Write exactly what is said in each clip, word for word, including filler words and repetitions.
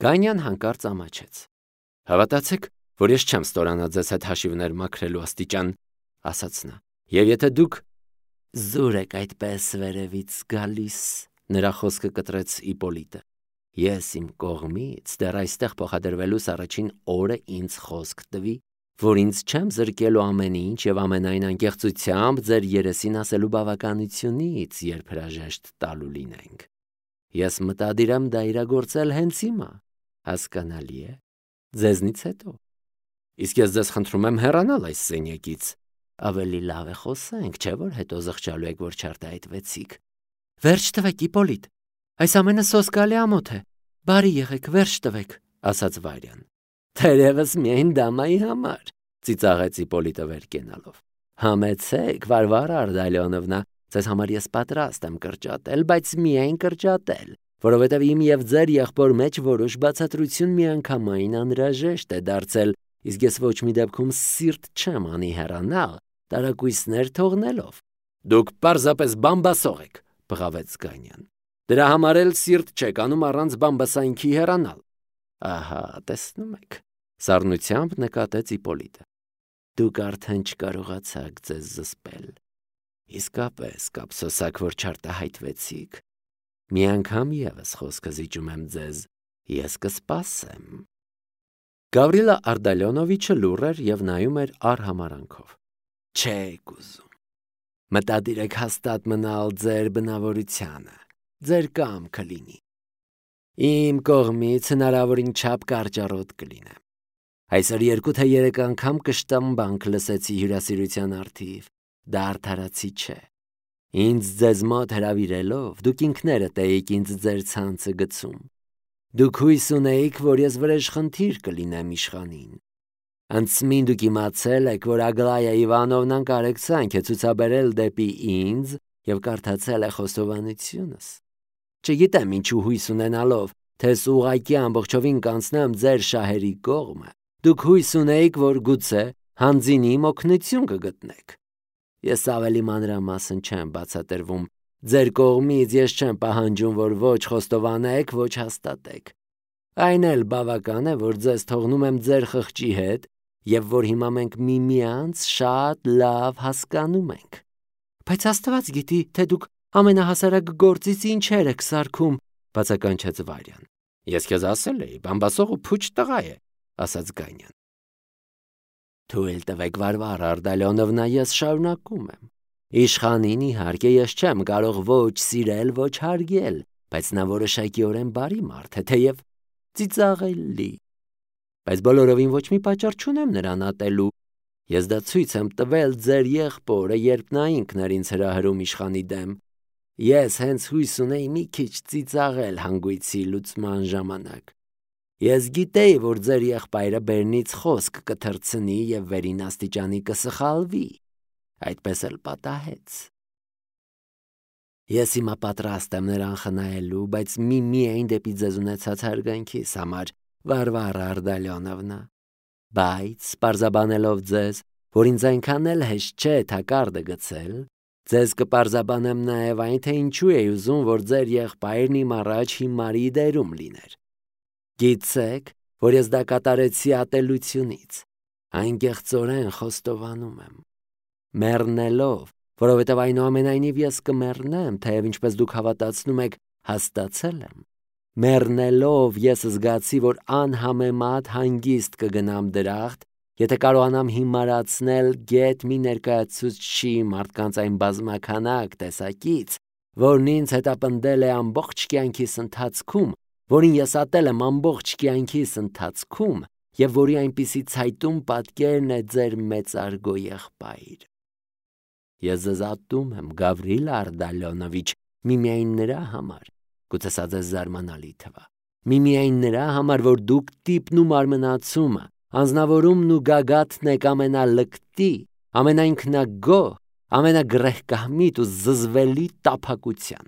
Գանյան հանկարծ ամաչեց։ Հավատացեք, որ ես չեմ ստորանա ձեզ հետ հաշիվներ մաքրելու աստիճան, ասաց նա։ Եվ եթե դուք զուր եք այդպես վերևից գալիս, նրա խոսքը կտրեց Իպոլիտը։ Ես իմ կողմից դեռ այստեղ փոխադրվելուս առաջին օրը ինձ խոսք տվի, որ ինձ չեմ զրկելու ամեն ինչ եւ ամենայն անկեղծությամբ ձեր երեսին ասելու բավականությունից, երբ հրաժեշտ տալու լինենք։ Ես մտադիր եմ դա իրագործել հենց հիմա, հասկանալի է, ձեզնից հետո։ Իսկ ես ձեզ խնդրում եմ հեռանալ այս սենյակից։ Ավելի լավ է խոսենք, չէ՞ որ հետո զղջալու եք, որ չարտահայտվեցիք։ Վերջ տվեք, Իպոլիտ, այս ամենը սոսկալի ամոթ է։ Բարի եղեք, վերջ տվեք, ասաց Վարյան։ Թերևս միայն դամայի համար, ծիծաղեց Իպոլիտը վեր կենալով։ Համեցեք, Վարվարա Արտալիոնովնա, ձեզ համար ես պատրաստ եմ կրճատել, բայց միայն կրճատել, որովհետև իմ եւ ձեր եղբոր մեջ որոշ բացատրություն միանգամայն անհրաժեշտ է դարձել, իսկ ես ոչ մի դեպքում սիրտ չեմ անի հեռանալ, տարակույսներ թողնելով։ Դուք պարզապես բամբասող եք, բղավեց Գանյան։ Դրա համար էլ սիրտ չեք անում առանց բամբասայինքի հեռանալ։ Ահա, տեսնում եք, սառնությամբ նկատեց Իպոլիտը։ Դուք արդեն չկարողացաք ձեզ զսպել։ Իսկապես կապսոսակ, որ չարտահայտվեցիք։ Մի անգամ ևս խոսքը զիջում եմ ձեզ, ես կսպասեմ։ Գավրիլա Արտալիոնովիչը լուռ էր եւ նայում էր արհամարանքով։ Չեք ուզում։ Մտադիր եք հաստատ մնալ ձեր բնավորությանը, ձեր կամքը լինի։ Իմ կողմից հնարավորին չափ կարճառոտ կլինեմ։ Այսօր երկու թե երեք անգամ կշտամ բանկ լսեցի հյուրասիրության առթիվ, դա արդարացի չէ։ Ինձ ձեզ մոտ հրավիրելով, դուք ինքներդ էիք ինձ ձեր ցանցը գցում։ Դուք հույս ունեիք, որ ես վրեժխնդիր կլինեմ իշխանին։ Անցմին դուք իմացել եք, որ Ագլայա Իվանովնան կարեկցանք է ցուցաբերել դեպի ինձ եւ կարդացել է խոստովանությունս։ Չգիտեմ ինչու հույս ունենալով, թե ուղղակի ամբողջովին կանցնեմ ձեր շահերի կողմը, դուք հույս ունեիք, որ գուցե հանձինի օգնություն կգտնեք։ Ես ավելի մանրամասն չեմ բացատրվում։ Ձեր կողմից ես չեմ պահանջում, որ ոչ խոստովանեք, ոչ հաստատեք։ Այն էլ բավական է, որ ձեզ թողնում եմ ձեր խղճի հետ, եւ որ հիմա մենք միմյանց շատ լավ հասկանում ենք։ Բայց Աստված գիտի, թե դուք ամենահասարակ գործից ինչեր եք սարքում, բացականչեց Վարյան։ Ես քեզ ասել էի, բամբասողը փուչ տղա է, ասաց Գանյան։ Թույլ տվեք, Վարվարա Արտալիոնովնա, ես շարունակում եմ։ Իշխանին իհարկե ես չեմ կարող ոչ սիրել, ոչ հարգել, բայց նա որոշակիորեն բարի մարդ է, թեև ծիծաղելի։ Բայց բոլորովին ոչ մի պատճառ չունեմ նրան ատելու։ Ես դա ցույց եմ տվել ձեր եղբորը, երբ նա ինքն էր ինձ հրահրում իշխանի դեմ։ Ես հենց հույս ունեի մի քիչ ծիծաղել հանգույցի լուծման ժամանակ։ Ես գիտեի, որ ձեր եղբայրը բերնից խոսք կթռցնի եւ վերին աստիճանի կսխալվի։ Այդպես էլ պատահեց։ Ես հիմա պատրաստ եմ նրան խնայելու, բայց մի միայն դեպի ձեզ ունեցած հարգանքիս համար, Վարվարա Արտալիոնովնա։ Բայց, պարզաբանելով ձեզ, որ ինձ այնքան էլ հեշտ չէ թակարդը գցել, ձեզ կպարզաբանեմ նաև այն, թե ինչու էի ուզում, որ ձեր եղբայրն իմ առաջ հիմարի դերում լիներ։ Գիտեք, որ ես դա կատարեցի ատելությունից, անկեղծորեն խոստովանում եմ։ Մեռնելով, որովհետև այնուամենայնիվ ես կմեռնեմ, թեև ինչպես դուք հավատացնում եք, հաստացել եմ։ Մեռնելով ես զգացի, որ անհամեմատ հանգիստ կգնամ դրախտ, եթե կարողանամ հիմարացնել գետ մի ներկայացուցչի մարդկանց այն բազմականակ տեսակից, որն ինձ հետապնդել է ամբողջ կյանքիս ընթացքում, որին ես ատել եմ ամբողջ կյանքիս ընթացքում եւ որի այնպիսի ցայտուն պատկերն է ձեր մեծարգո եղբայր։ Ես ձեզ ատում եմ, Գավրիլ Արտալիոնովիչ, միմիայն նրա համար, գուցե սա ձեզ զարմանալի թվա, միմիայն նրա համար, որ դուք տիպն ու մարմնացումը, անձնավորումն ու գագաթն եք ամենալկտի, ամենաինքնագոհ, ամենագրեհկահմիտ ու զզվելի տափակության։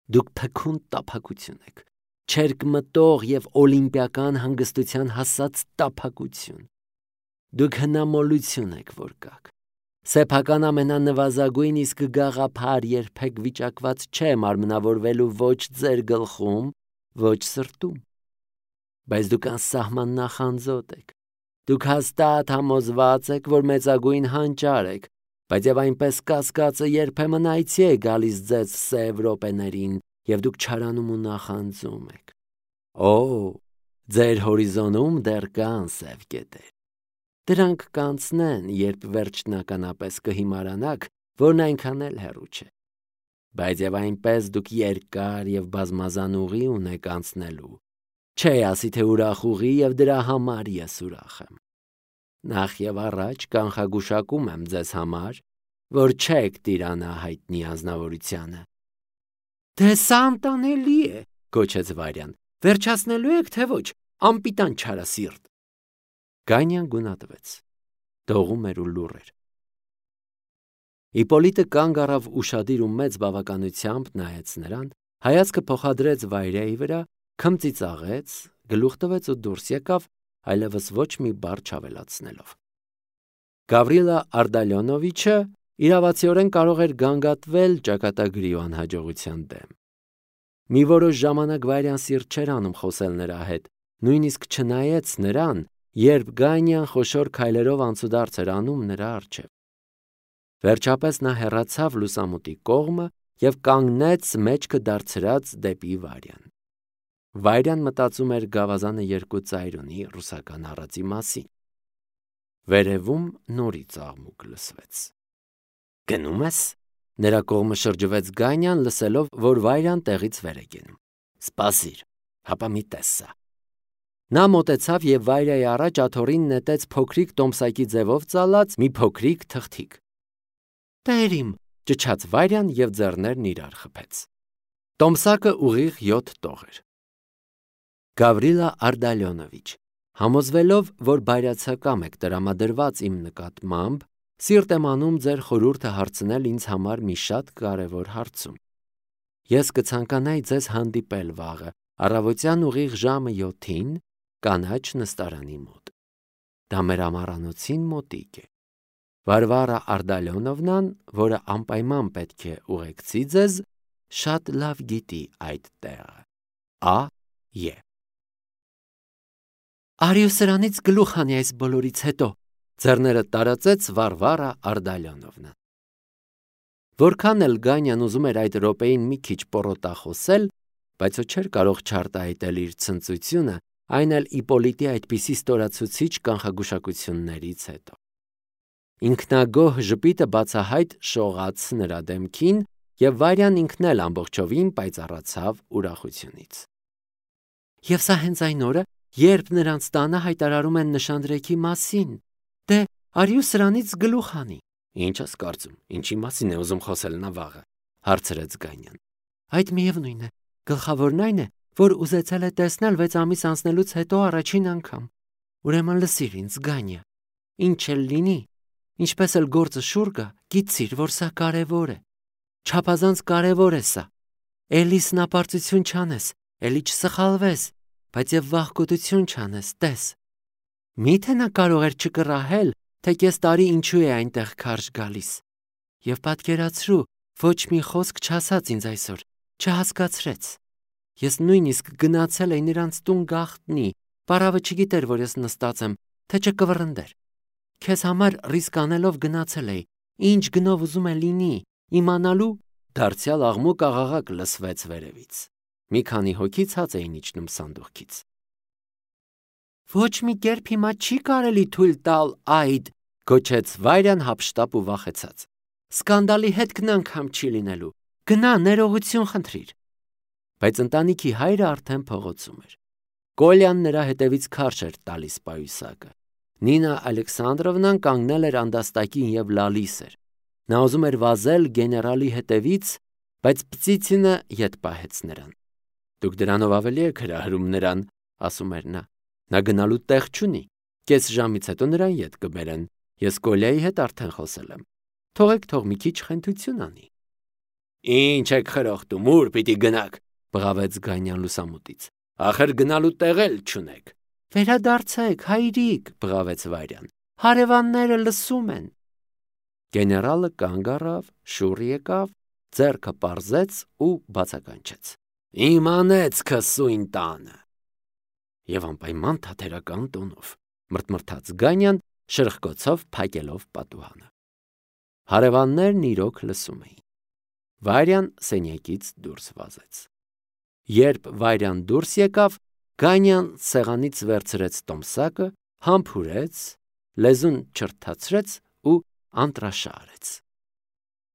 Դուք փքուն տափակություն եք, չերկմտող եւ օլիմպիական հանգստության հասած տափակություն։ Դուք հնամոլություն եք, որ կաք։ Սեփական ամենանվազագույն իսկ գաղափար երբեք վիճակված չէ մարմնավորվելու ոչ ձեր գլխում, ոչ սրտում։ բայց դուք անսահման նախանձոտ եք։ Դուք հաստատ համոզված եք, որ մեծագույն հանճար եք, բայց եւ այնպես կասկածը երբեմն այցի է գալիս ձեզ սև րոպեներին, եւ դուք չարանում ու նախանձում եք։ Օ, ձեր հորիզոնում դեռ կան սև կետեր։ Դրանք կանցնեն, երբ վերջնականապես կհիմարանաք, որն այնքան էլ հեռու չէ։ Բայց եւ այնպես դուք երկար եւ բազմազան ուղի ունեք անցնելու։ Չէ, ասի թե ուրախ ուղի եւ դրա համար ես ուրախ եմ։ Նախ եւ առաջ կանխագուշակում եմ ձեզ համար, որ չեք տիրանա հայտնի ազնվորությանը։ Դե սա անտանելի է, գոչեց Վարյան։ Վերջացնելու եք, թե ոչ, անպիտան չարասիրտ։ Գանյան գունատվեց։ Դողում էր ու լուռ էր։ Իպոլիտը կանգ առավ ուշադիր ու մեծ բավականությամբ նայեց նրան, հայացքը փոխադրեց Վայրայի վրա, քմծիծաղեց, գլուխ տվեց ու դուրս եկավ, այլևս ոչ մի բառ չավելացնելով։ Գավրիլա Արդալյոնովիչը իրավացիորեն կարող էր գանգատվել ճակատագրի ու անհաջողության դեմ։ Մի որոշ ժամանակ Վայրյան սիրտ չէր անում խոսել նրա հետ, նույնիսկ չնայեց նրան, երբ Գանյան խոշոր քայլերով անցուդարձ էր անում նրա առջև։ Վերջապես նա հեռացավ լուսամուտի կողմը եւ կանգնեց մեջքը դարձրած դեպի Վարյան։ Վայրյան մտածում էր գավազանը երկու ծայր ունի ռուսական առածի մասին։ Վերևում նորից աղմուկ լսվեց։ Գնում ես։ Նրա կողմը շրջվեց Գանյան, լսելով, որ Վայրյան տեղից վեր է գնում։ Սպասիր, հապա մի տեսա։ Նա մոտեցավ եւ Վայրայի առաջ աթոռին նետեց փոքրիկ տոմսակի ձևով ծալած մի փոքրիկ թղթիկ։ Տերիմ, ճչաց Վայրյան եւ ձեռներն իրար խփեց։ Տոմսակը ուղիղ յոթ տող էր։ Գավրիլա Արդալյոնովիչ, համոզվելով, որ բայրացակամ եք տրամադրված իմ նկատմամբ, սիրտ եմ անում ձեր խորհուրդը հարցնել ինձ համար մի շատ կարևոր հարցում։ Ես կցանկանայի ձեզ հանդիպել վաղը, առավոտյան ուղիղ ժամը յոթին, կանաչ նստարանի մոտ։ Դա մեր ամառանոցին մոտիկ է։ Վարվարա Արդալյոնովնան, որը անպայման պետք է ուղեկցի ձեզ, շատ լավ գիտի այդ տեղը։ Ա. Ե. Արիու սրանից գլուխ հանի այս բոլորից հետո, ձեռները տարածեց Վարվարա Արդալյոնովնան։ Որքան էլ Գանյան ուզում էր այդ րոպեին մի քիչ պոռոտախոսել, բայց ու չէր կարող չարտահայտել իր ցնծությունը, այն էլ Իպոլիտի այդպիսի ստորացուցիչ կանխագուշակություններից հետո։ Ինքնագոհ ժպիտը բացահայտ շողաց նրա դեմքին, եւ Վարյան ինքն էլ ամբողջովին պայծառացավ ուրախությունից։ Եվ սա հենց այն օրը, երբ նրանց տանը հայտարարում են նշանдрեքի մասին։ Դե, արիու սրանից գլուխ հանի։ Ինչ ես կարծում, ինչի մասին է ուզում խոսել նա վաղը, հարցրեց Գանյան։ Այդ միևնույն է, գլխավորն այն է, որ ուզեցել է տեսնել վեց ամիս անցնելուց հետո առաջին անգամ։ Ուրեմն լսիր ինձ, Գանյա, ինչ էլ լինի, ինչպես էլ գործը շուռ գա, գիտիր, որ սա կարևոր է։ Չափազանց կարևոր է սա։ Էլի սնապարծություն չանես, էլի չսխալվես, բայց եւ վախկոտություն չանես, տես։ Միթե նա կարող էր չկռահել, թե կես տարի ինչու է այնտեղ քարշ գալիս։ Եվ պատկերացրու, ոչ մի խոսք չասաց ինձ այսօր, չհասկացրեց։ Ես նույնիսկ գնացել էի նրանց տուն գաղտնի, պարավը չգիտեր, որ ես նստած եմ, թե չկվռնդեր։ Քեզ համար ռիսկ անելով գնացել էի, ինչ գնով ուզում է լինի, իմանալու, դարձյալ աղմուկ աղաղակ լսվեց վերևից։ Մի քանի հոգի ցած էին իջնում սանդուղքից։ Ոչ մի կերպ հիմա չի կարելի թույլ տալ այդ, գոչեց Վայրյան հափշտապ ու վախեցած։ Սկանդալի հետ անգամ չի լինելու։ Գնա, ներողություն խնդրիր։ Բայց ընտանիքի հայրը արդեն փողոցում էր։ Կոլյան նրա հետևից քարշ էր տալիս պայուսակը։ Նինա Ալեքսանդրովնան կանգնել էր անդաստակին եւ լալիս էր։ Նա ուզում էր վազել գեներալի հետևից, բայց Պծիցինը ետ պահեց նրան։ Դուք դրանով ավելի եք հրահրում նրան, ասում էր նա։ Նա գնալու տեղ չունի։ Կես ժամից հետո նրան ետ կբերեն։ Ես Կոլյայի հետ արդեն խոսել եմ։ Թողեք թող մի քիչ խենթություն անի։ Ինչ եք խրոխտում, ուր պիտի գնաք, բղավեց Գանյան լուսամուտից։ Ախր գնալու տեղ էլ չունեք։ Վերադարձեք, հայրիկ, բղավեց Վարյան։ Հարևանները լսում են։ Գեներալը կանգ առավ, շուռ եկավ, ձեռքը պարզեց ու բացականչեց։ Իմանեց քսույն տանը։ եւ անպայման թատերական տոնով, մրթմրթաց Գանյան, շրխկոցով փակելով պատուհանը։ Հարևաններն իրոք լսում էին։ Վարյան սենյակից դուրս վազեց։ Երբ Վարյան դուրս եկավ, Գանյան սեղանից վերցրեց տոմսակը, համբուրեց, լեզուն չրթացրեց ու անտրաշարեց։